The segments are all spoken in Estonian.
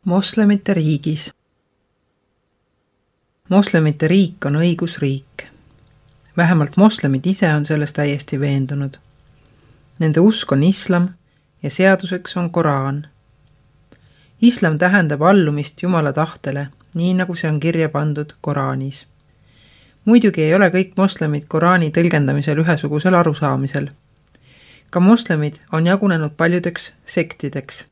Moslemite riigis. Moslemite riik on õigusriik. Vähemalt moslemid ise on selles täiesti veendunud. Nende usk on islam ja seaduseks on Koraan. Islam tähendab allumist Jumala tahtele, nii nagu see on kirja pandud Koraanis. Muidugi ei ole kõik moslemid Koraani tõlgendamisel ühesugusel arusaamisel. Ka moslemid on jagunenud paljudeks sektideks.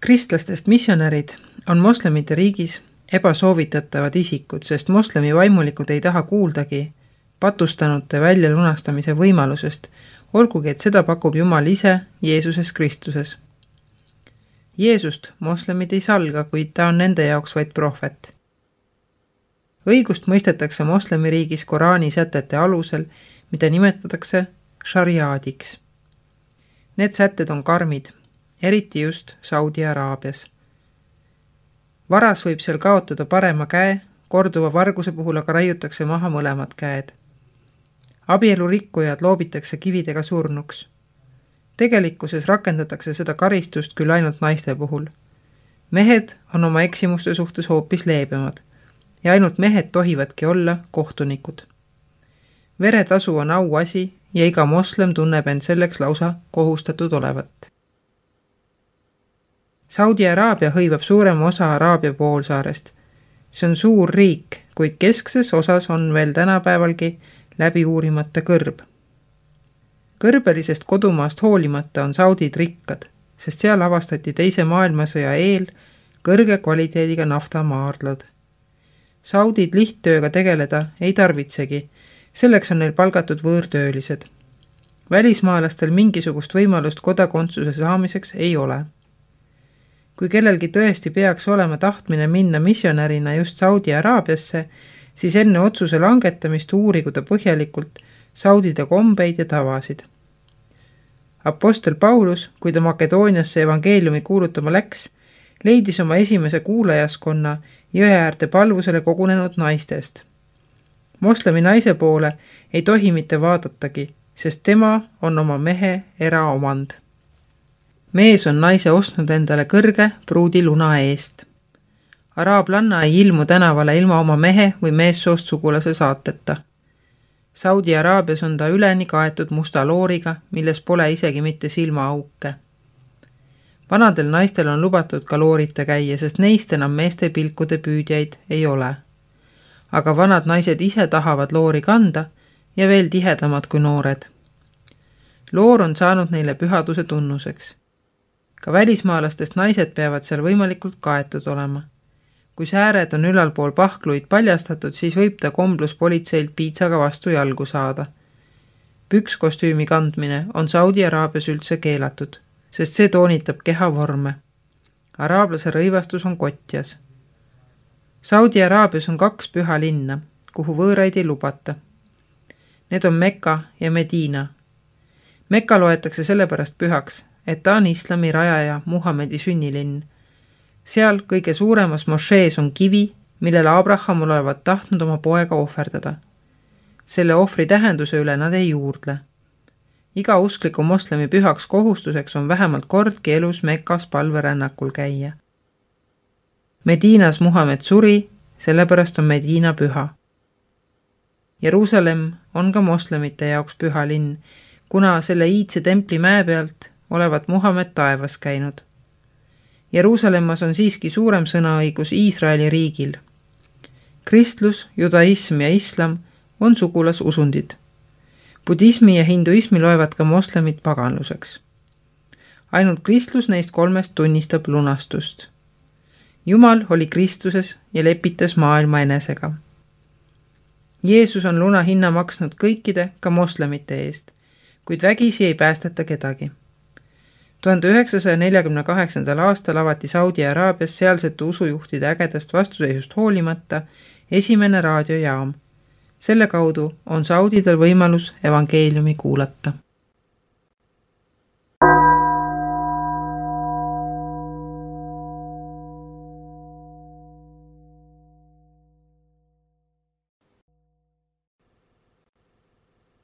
Kristlastest missionärid on moslemite riigis ebasoovitatavad isikud, sest moslemi vaimulikud ei taha kuuldagi patustanute väljalunastamise võimalusest, olgugi et seda pakub Jumal ise Jeesuses Kristuses. Jeesust moslemid ei salga, kuid ta on nende jaoks vaid prohvet. Õigust mõistetakse moslemi riigis Koraani sätete alusel, mida nimetatakse šariaadiks. Need sätted on karmid, eriti just Saudi Araabias. Varas võib seal kaotada parema käe, korduva varguse puhul aga raiutakse maha mõlemad käed. Abielurikkujad loobitakse kividega surnuks. Tegelikkuses rakendatakse seda karistust küll ainult naiste puhul. Mehed on oma eksimuste suhtes hoopis leebemad ja ainult mehed tohivadki olla kohtunikud. Veretasu on auasi ja iga moslem tunneb end selleks lausa kohustatud olevat. Saudi Araabia hõivab suurema osa Araabia poolsaarest. See on suur riik, kuid keskses osas on veel tänapäevalgi läbi uurimata kõrb. Kõrbelisest kodumaast hoolimata on saudid rikkad, sest seal avastati teise maailmasõja eel kõrge kvaliteediga naftamaardlad. Saudid lihttööga tegeleda ei tarvitsegi, selleks on neil palgatud võõrtöölised. Välismaalastel mingisugust võimalust kodakondsuse saamiseks ei ole. Kui kellelgi tõesti peaks olema tahtmine minna missionärina just Saudi Araabiasse, siis enne otsuse langetamist uurigu ta põhjalikult saudide kombeid ja tavasid. Apostel Paulus, kui ta Makedooniasse evangeeliumi kuulutama läks, leidis oma esimese kuulajaskonna jõeäärde palvusele kogunenud naistest. Moslemi naise poole ei tohi mitte vaadatagi, sest tema on oma mehe eraomand. Mees on naise ostnud endale kõrge pruudi luna eest. Araablanna ei ilmu tänavale ilma oma mehe või meessoost sugulase saateta. Saudi Araabias on ta üleni kaetud musta looriga, milles pole isegi mitte silmaauke. Vanadel naistel on lubatud ka loorita käia, sest neist enam meeste pilkude püüdjaid ei ole. Aga vanad naised ise tahavad loori kanda ja veel tihedamad kui noored. Loor on saanud neile pühaduse tunnuseks. Ka välismaalastest naised peavad seal võimalikult kaetud olema. Kui sääred on ülalpool pahkluid paljastatud, siis võib ta kombluspolitseilt piitsaga vastu jalgu saada. Pükskostüümi kandmine on Saudi Araabias üldse keelatud, sest see toonitab kehavorme. Araablase rõivastus on kotjas. Saudi Araabias on 2 püha linna, kuhu võõraid ei lubata. Need on Mekka ja Mediina. Mekka loetakse sellepärast pühaks, et ta on islami rajaja Muhamedi sünnilinn. Seal kõige suuremas mošees on kivi, millele Abraham olevat tahtnud oma poega ohverdada. Selle ohvri tähenduse üle nad ei juurdle. Iga uskliku moslemi pühaks kohustuseks on vähemalt kordki elus Mekas palverännakul käia. Mediinas Muhamed suri, sellepärast on Mediina püha. Jeruusalemm on ka moslemite jaoks püha linn, kuna selle iidse templi mäe pealt olevat Muhamed taevas käinud. Jeruusalemmas on siiski suurem sõnaõigus Iisraeli riigil. Kristlus, judaism ja islam on sugulasusundid. Budismi ja hinduismi loevad ka moslemid paganluseks. Ainult kristlus neist 3 tunnistab lunastust. Jumal oli Kristuses ja lepitas maailma enesega. Jeesus on luna hinna maksnud kõikide, ka moslemite eest, kuid vägisi ei päästeta kedagi. 1948. aastal avati Saudi Araabias sealsete usujuhtide ägedast vastuseisust hoolimata esimene raadiojaam. Selle kaudu on saudidel võimalus evangeeliumi kuulata.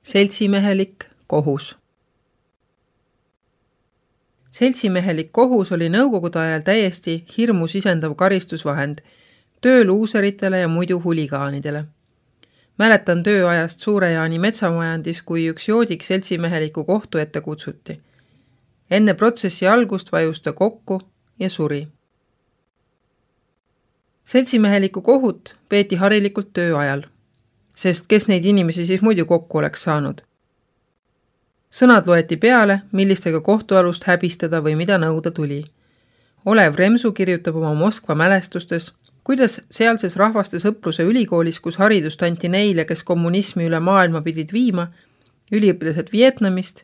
Seltsimehelik kohus. Seltsimehelik kohus oli nõukogude ajal täiesti hirmu sisendav karistusvahend tööluuseritele ja muidu huligaanidele. Mäletan tööajast Suure-Jaani metsamajandis, kui üks joodik seltsimeheliku kohtu ette kutsuti. Enne protsessi algust vajus ta kokku ja suri. Seltsimeheliku kohut peeti harilikult tööajal, sest kes neid inimesi siis muidu kokku oleks saanud. Sõnad loeti peale, millistega kohtualust häbistada või mida nõuda tuli. Olev Remsu kirjutab oma Moskva mälestustes, kuidas sealses rahvaste sõpruse ülikoolis, kus haridust anti neile, kes kommunismi üle maailma pidid viima, üliõpilased Vietnamist,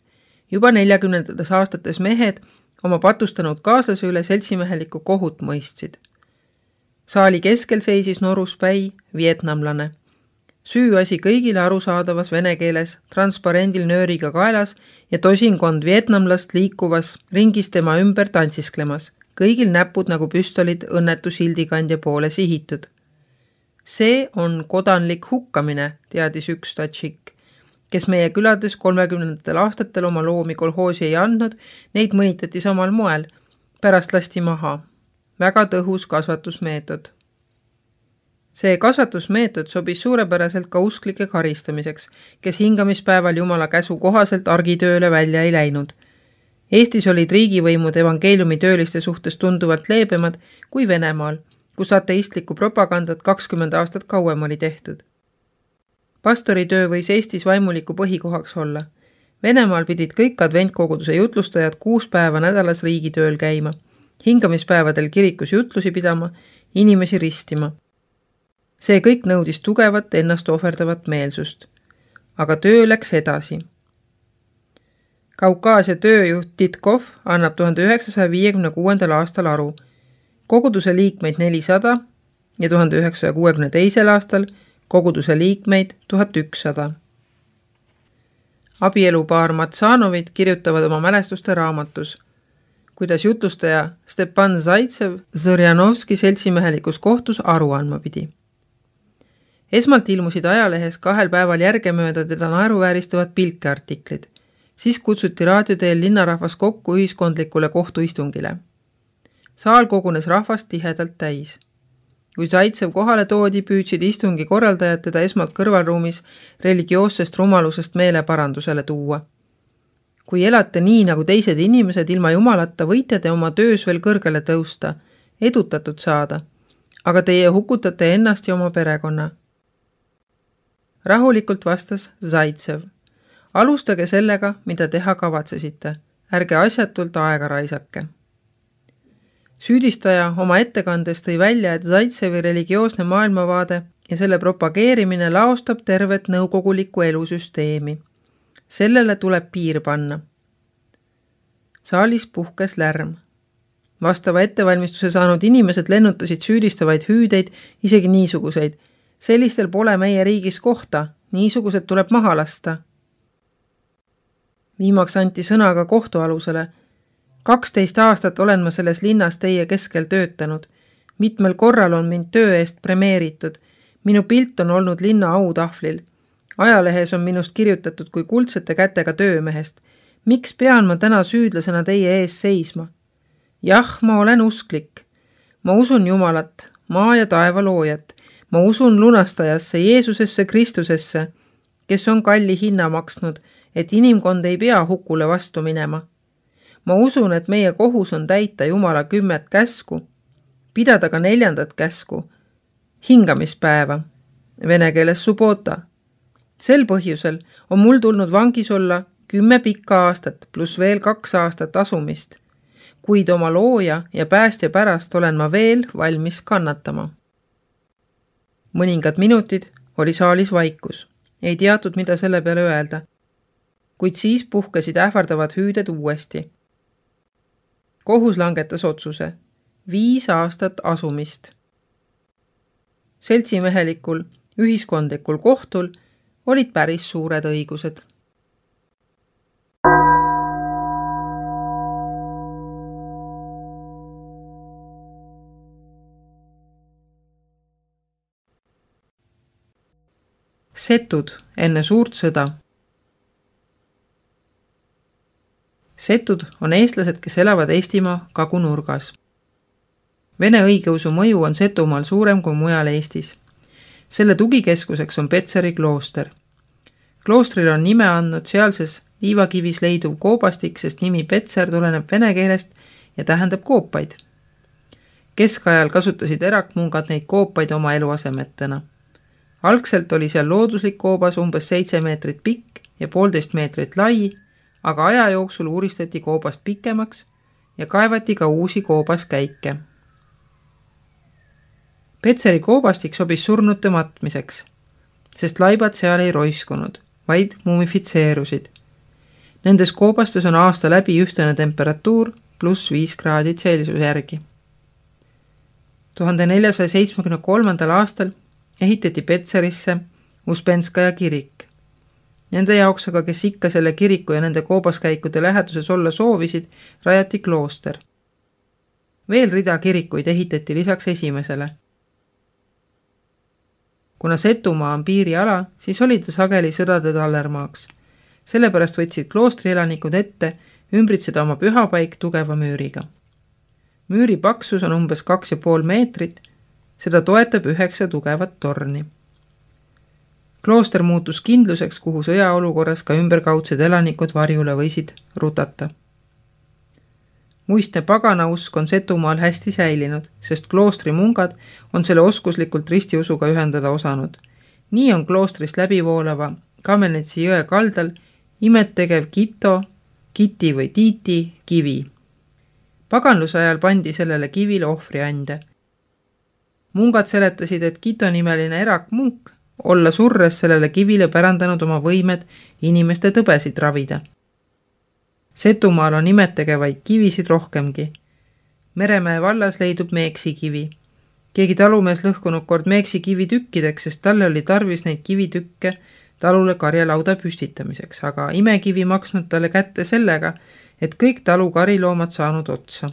juba 40. aastates mehed oma patustanud kaaslase üle seltsimeheliku kohut mõistsid. Saali keskel seisis noruspäi vietnamlane. Süüasi kõigile arusaadavas vene keeles, transparendil nööriga kaelas ja tosinkond vietnamlast liikuvas ringis tema ümber tantsisklemas, kõigil näpud nagu püstolid õnnetu sildikandja poole sihitud. See on kodanlik hukkamine, teadis üks tatšik, kes meie külades 30. aastatel oma loomi kolhoosi ei andnud, neid mõnitati samal moel, pärast lasti maha. Väga tõhus kasvatusmeetod. See kasvatusmeetod sobis suurepäraselt ka usklike karistamiseks, kes hingamispäeval Jumala käsu kohaselt argitööle välja ei läinud. Eestis olid riigivõimud evangeeliumi tööliste suhtes tunduvalt leebemad kui Venemaal, kus ateistlikku propagandat 20 aastat kauem oli tehtud. Pastoritöö võis Eestis vaimuliku põhikohaks olla. Venemaal pidid kõik adventkoguduse jutlustajad 6 päeva nädalas riigitööl käima, hingamispäevadel kirikus jutlusi pidama, inimesi ristima. See kõik nõudis tugevat ennast ohverdavat meelsust. Aga töö läks edasi. Kaukaasia tööjuht Titkov annab 1956. aastal aru. Koguduse liikmeid 400 ja 1962. aastal koguduse liikmeid 1100. Abielupaar Matsanovid kirjutavad oma mälestuste raamatus, kuidas jutlustaja Stepan Zaitsev Zõrjanovski seltsimehelikus kohtus aru andma pidi. Esmalt ilmusid ajalehes 2 päeval järgemööda teda naeruvääristavad pilkeartiklid. Siis kutsuti raadioteel linnarahvas kokku ühiskondlikule kohtuistungile. Saal kogunes rahvast tihedalt täis. Kui Zaitsev kohale toodi, püüdsid istungi korraldajad teda esmalt kõrvalruumis religioossest rumalusest meeleparandusele tuua. Kui elate nii nagu teised inimesed ilma Jumalata, võite te oma töös veel kõrgele tõusta, edutatud saada, aga teie hukutate ennast ja oma perekonna. Rahulikult vastas Zaitsev. Alustage sellega, mida teha kavatsesite. Ärge asjatult aega raisake. Süüdistaja oma ettekandes tõi välja, et Zaitsevi religioosne maailmavaade ja selle propageerimine laostab tervet nõukogulikku elusüsteemi. Sellele tuleb piir panna. Saalis puhkes lärm. Vastava ettevalmistuse saanud inimesed lennutasid süüdistavaid hüüdeid, isegi niisuguseid. Sellistel pole meie riigis kohta, niisugused tuleb maha lasta. Viimaks anti sõna ka kohtualusele. 12 aastat olen ma selles linnas teie keskel töötanud. Mitmel korral on mind töö eest premeeritud. Minu pilt on olnud linna autahvlil. Ajalehes on minust kirjutatud kui kuldsete kätega töömehest. Miks pean ma täna süüdlasena teie ees seisma? Jah, ma olen usklik. Ma usun Jumalat, maa ja taeva loojat. Ma usun lunastajasse, Jeesusesse, Kristusesse, kes on kalli hinna maksnud, et inimkond ei pea hukule vastu minema. Ma usun, et meie kohus on täita Jumala 10 käsku, pidada ka 4. käsku, hingamispäeva, vene keeles subota. Sel põhjusel on mul tulnud vangis olla 10 pikka aastat pluss veel 2 aastat asumist, kuid oma looja ja päästja pärast olen ma veel valmis kannatama. Mõningad minutid oli saalis vaikus. Ei teatud, mida selle peale öelda. Kuid siis puhkesid ähvardavad hüüded uuesti. Kohus langetas otsuse. 5 aastat asumist. Seltsimehelikul, ühiskondlikul kohtul olid päris suured õigused. Setud enne suurt sõda. Setud on eestlased, kes elavad Eestimaa kagunurgas. Vene õigeusu mõju on Setumaal suurem kui mujal Eestis. Selle tugikeskuseks on Petseri klooster. Kloostrile on nime andnud sealses liivakivis leiduv koobastik, sest nimi Petser tuleneb vene keelest ja tähendab koopaid. Keskajal kasutasid erakmungad neid koopaid oma eluasemetena. Algselt oli seal looduslik koobas umbes 7 meetrit pikk ja 1,5 meetrit lai, aga aja jooksul uuristati koobast pikemaks ja kaevati ka uusi koobaskäike. Petseri koobastik sobis surnute matmiseks, sest laibad seal ei roiskunud, vaid mumifitseerusid. Nendes koobastes on aasta läbi ühtene temperatuur +5 kraadi Celsiuse järgi. 1473. aastal ehitati Petserisse Uspenskaja kirik. Nende jaoks aga, kes ikka selle kiriku ja nende koobaskäikude läheduses olla soovisid, rajati klooster. Veel rida kirikuid ehitati lisaks esimesele. Kuna Setumaa on piiriala, siis oli ta sageli sõdade tallermaaks. Sellepärast võtsid kloostri elanikud ette ümbritseda oma pühapaik tugeva müüriga. Müüri paksus on umbes 2,5 meetrit, seda toetab 9 tugevat torni. Klooster muutus kindluseks, kuhu sõjaolukorras ka ümberkaudsed elanikud varjule võisid rutata. Muistne paganausk on Setumaal hästi säilinud, sest kloostri mungad on selle oskuslikult ristiusuga ühendada osanud. Nii on kloostrist läbivoolava Kamenetsi jõe kaldal imet tegev Kito, Kiti või Tiiti kivi. Paganluse ajal pandi sellele kivile ohvriande. Mungad seletasid, et Kito nimeline erakmunk olla surres sellele kivile pärandanud oma võimed inimeste tõbesid ravida. Setumaal on imettegevaid kivisid rohkemgi. Meremäe vallas leidub Meeksi kivi. Keegi talumees lõhkunud kord Meeksi kivi tükkideks, sest talle oli tarvis neid kivitükke talule karjalauda püstitamiseks, aga imekivi maksnud talle kätte sellega, et kõik talu kariloomad saanud otsa.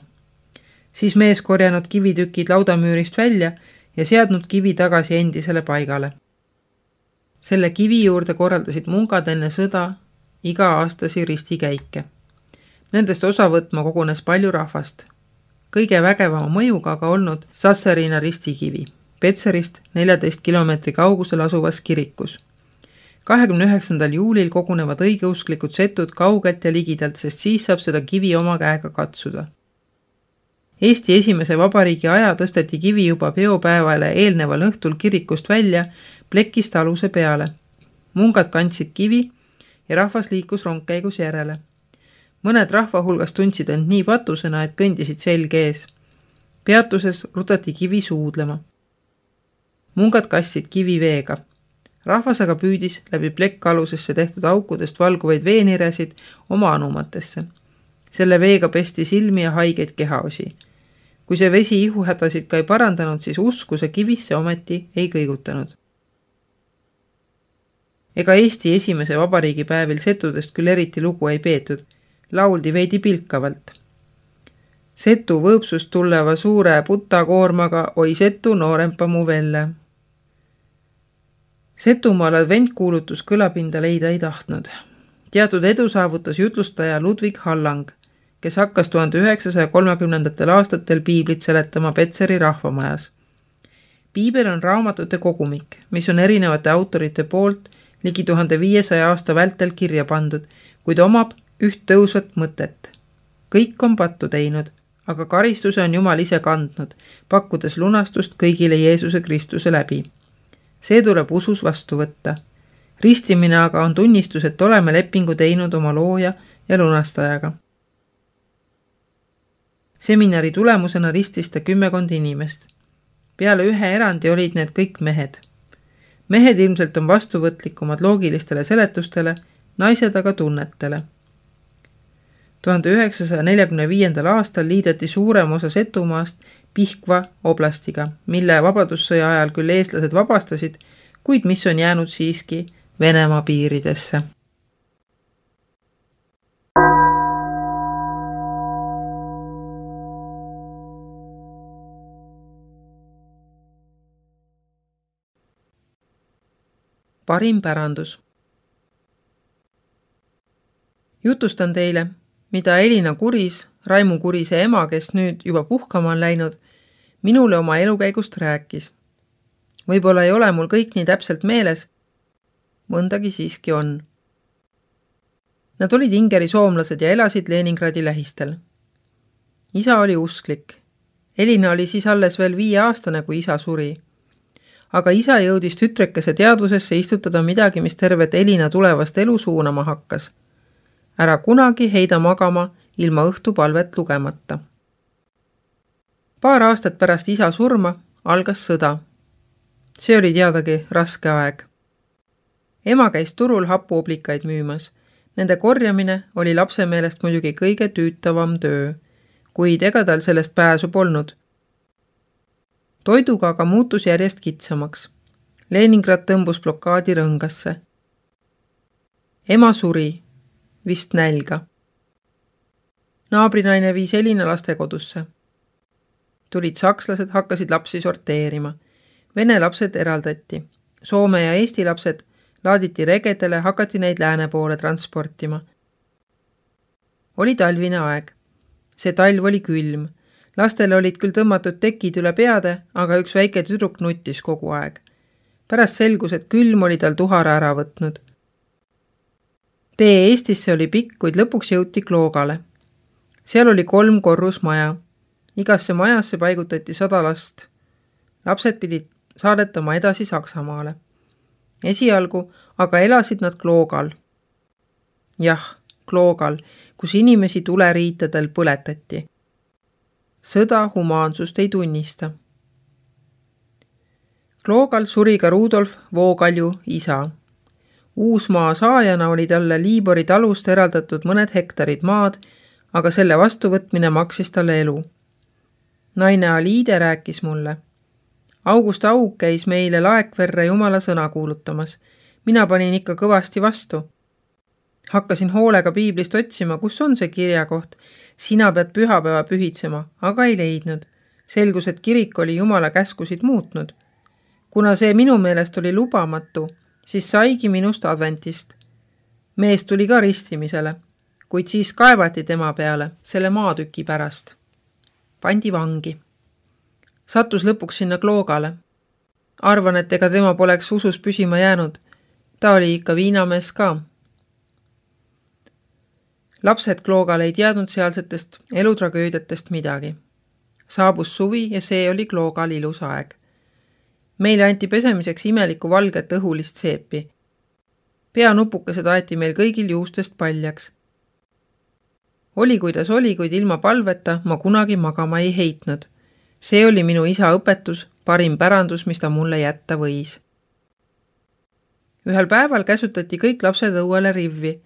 Siis mees korjanud kivitükid laudamüürist välja ja seadnud kivi tagasi endisele paigale. Selle kivi juurde korraldasid mungad enne sõda iga-aastasi ristikäike. Nendest osa võtma kogunes palju rahvast. Kõige vägevama mõjuga aga olnud Sassarina ristikivi, Petserist 14 kilomeetri kaugusel asuvas kirikus. 29. juulil kogunevad õigeusklikud setud kaugelt ja ligidalt, sest siis saab seda kivi oma käega katsuda. Eesti esimese vabariigi aja tõsteti kivi juba peopäevale eelneval õhtul kirikust välja plekist aluse peale. Mungad kandsid kivi ja rahvas liikus rongkäigus järele. Mõned rahva hulgas tundsid end nii patusena, et kõndisid selg ees. Peatuses rutati kivi suudlema. Mungad kastsid kivi veega. Rahvas aga püüdis läbi plekkalusesse tehtud aukudest valguvaid veeniresid oma anumatesse. Selle veega pesti silmi ja haigeid kehaosi. Kui see vesi ihuhädasid ka ei parandanud, siis uskuse kivisse ometi ei kõigutanud. Ega Eesti esimese vabariigi päevil setudest küll eriti lugu ei peetud, lauldi veidi pilkavalt. Setu võõpsust tuleva suure putakoormaga oi Setu noorempa mu velle. Setumaal adventkuulutus kõlapinda leida ei tahtnud. Teatud edu saavutas jutlustaja Ludwig Hallang, kes hakkas 1930. aastatel piiblit seletama Petseri rahvamajas. Piibel on raamatute kogumik, mis on erinevate autorite poolt ligi 1500 aasta vältel kirja pandud, kuid omab üht tõusvat mõtet. Kõik on pattu teinud, aga karistuse on Jumal ise kandnud, pakkudes lunastust kõigile Jeesuse Kristuse läbi. See tuleb usus vastu võtta. Ristimine aga on tunnistus, et oleme lepingu teinud oma looja ja lunastajaga. Seminari tulemusena ristis ta 10 inimest. Peale ühe erandi olid need kõik mehed. Mehed ilmselt on vastuvõtlikumad loogilistele seletustele, naised aga tunnetele. 1945. aastal liideti suurem osa Setumaast Pihkva oblastiga, mille vabadussõja ajal küll eestlased vabastasid, kuid mis on jäänud siiski Venemaa piiridesse. Parim pärandus. Jutustan teile, mida Elina Kuris, Raimu Kurise ema, kes nüüd juba puhkama on läinud, minule oma elukäigust rääkis. Võib-olla ei ole mul kõik nii täpselt meeles, mõndagi siiski on. Nad olid Ingeri soomlased ja elasid Leningradi lähistel. Isa oli usklik. Elina oli siis alles veel 5-aastane, kui isa suri. Aga isa jõudis tütrekese teadvusesse istutada midagi, mis tervet Elina tulevast elu suunama hakkas. Ära kunagi heida magama ilma õhtupalvet lugemata. Paar aastat pärast isa surma algas sõda. See oli teadagi raske aeg. Ema käis turul hapuoblikaid müümas. Nende korjamine oli lapse meelest muidugi kõige tüütavam töö, kuid ega tal sellest pääsu polnud. Toiduga aga muutus järjest kitsamaks. Leningrad tõmbus blokaadi rõngasse. Ema suri, vist nälga. Naabrinaine viis Elina lastekodusse. Tulid sakslased, hakkasid lapsi sorteerima. Vene lapsed eraldati. Soome ja Eesti lapsed laaditi regedele, hakati neid lääne poole transportima. Oli talvine aeg. See talv oli külm. Lastele olid küll tõmmatud tekid üle peade, aga üks väike tüdruk nuttis kogu aeg. Pärast selgus, et külm oli tal tuhara ära võtnud. Tee Eestisse oli pikk, kuid lõpuks jõuti Kloogale. Seal oli 3 korrusmaja. Igasse majasse paigutati 100 last. Lapsed pidid saadetama edasi Saksamaale. Esialgu aga elasid nad Kloogal. Jah, Kloogal, kus inimesi tuleriitadel põletati. Sõda humaansust ei tunnista. Kloogal suri ka Rudolf Voogalju isa. Uusmaa saajana oli talle Liibori talust eraldatud mõned hektarid maad, aga selle vastuvõtmine maksis talle elu. Naine Aliide rääkis mulle. August Aug käis meile Laekverre jumala sõna kuulutamas. Mina panin ikka kõvasti vastu. Hakkasin hoolega piiblist otsima, kus on see kirjakoht. Sina pead pühapäeva pühitsema, aga ei leidnud. Selgus, et kirik oli jumala käskusid muutnud. Kuna see minu meelest oli lubamatu, siis saigi minust adventist. Mees tuli ka ristimisele, kuid siis kaevati tema peale selle maatüki pärast. Pandi vangi. Sattus lõpuks sinna Kloogale. Arvan, et ega tema poleks usus püsima jäänud. Ta oli ikka viinamees ka. Lapsed Kloogal ei teadnud sealsetest elutragöödiatest midagi. Saabus suvi ja see oli Kloogal ilus aeg. Meile anti pesemiseks imelikku valget õhulist seepi. Peanupukesed aeti meil kõigil juustest paljaks. Oli kuidas oli, kuid ilma palveta ma kunagi magama ei heitnud. See oli minu isa õpetus, parim pärandus, mis ta mulle jätta võis. Ühel päeval käsutati kõik lapsed õuele rivvi.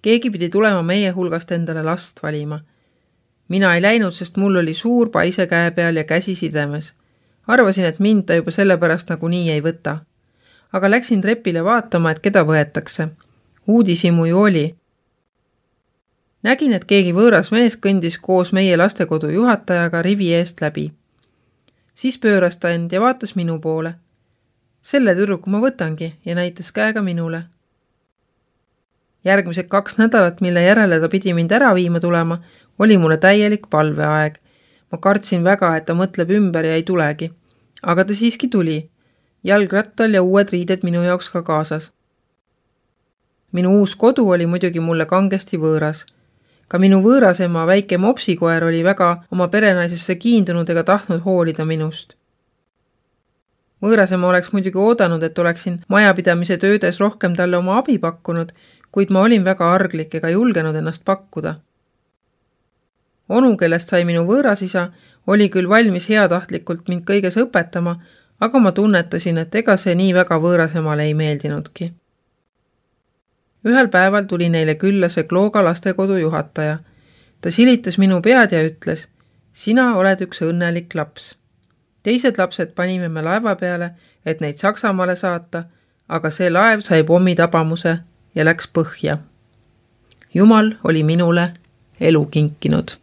Keegi pidi tulema meie hulgast endale last valima. Mina ei läinud, sest mul oli suur paise käe peal ja käsi sidemes. Arvasin, et mind ta juba sellepärast nagu nii ei võta. Aga läksin trepile vaatama, et keda võetakse. Uudisimu ju oli. Nägin, et keegi võõras mees kõndis koos meie lastekodu juhatajaga rivi eest läbi. Siis pööras ta end ja vaatas minu poole. Selle tüdruku ma võtangi ja näitas käega minule. Järgmised 2 nädalat, mille järele ta pidi mind ära viima tulema, oli mulle täielik palveaeg. Ma kartsin väga, et ta mõtleb ümber ja ei tulegi. Aga ta siiski tuli. Jalgrattal ja uued riided minu jaoks ka kaasas. Minu uus kodu oli muidugi mulle kangesti võõras. Ka minu võõrasema väike mopsikoer oli väga oma perenaisesse kiindunud ega tahtnud hoolida minust. Võõrasema oleks muidugi oodanud, et oleksin majapidamise töödes rohkem talle oma abi pakkunud, kuid ma olin väga arglik ega julgenud ennast pakkuda. Onu, kellest sai minu võõrasisa, oli küll valmis heatahtlikult mind kõiges õpetama, aga ma tunnetasin, et ega see nii väga võõrasemale ei meeldinudki. Ühel päeval tuli neile külla see Klooga lastekodu juhataja. Ta silitas minu pead ja ütles, sina oled üks õnnelik laps. Teised lapsed panime me laeva peale, et neid Saksamaale saata, aga see laev sai pommitabamuse ja läks põhja. Jumal oli minule elu kinkinud.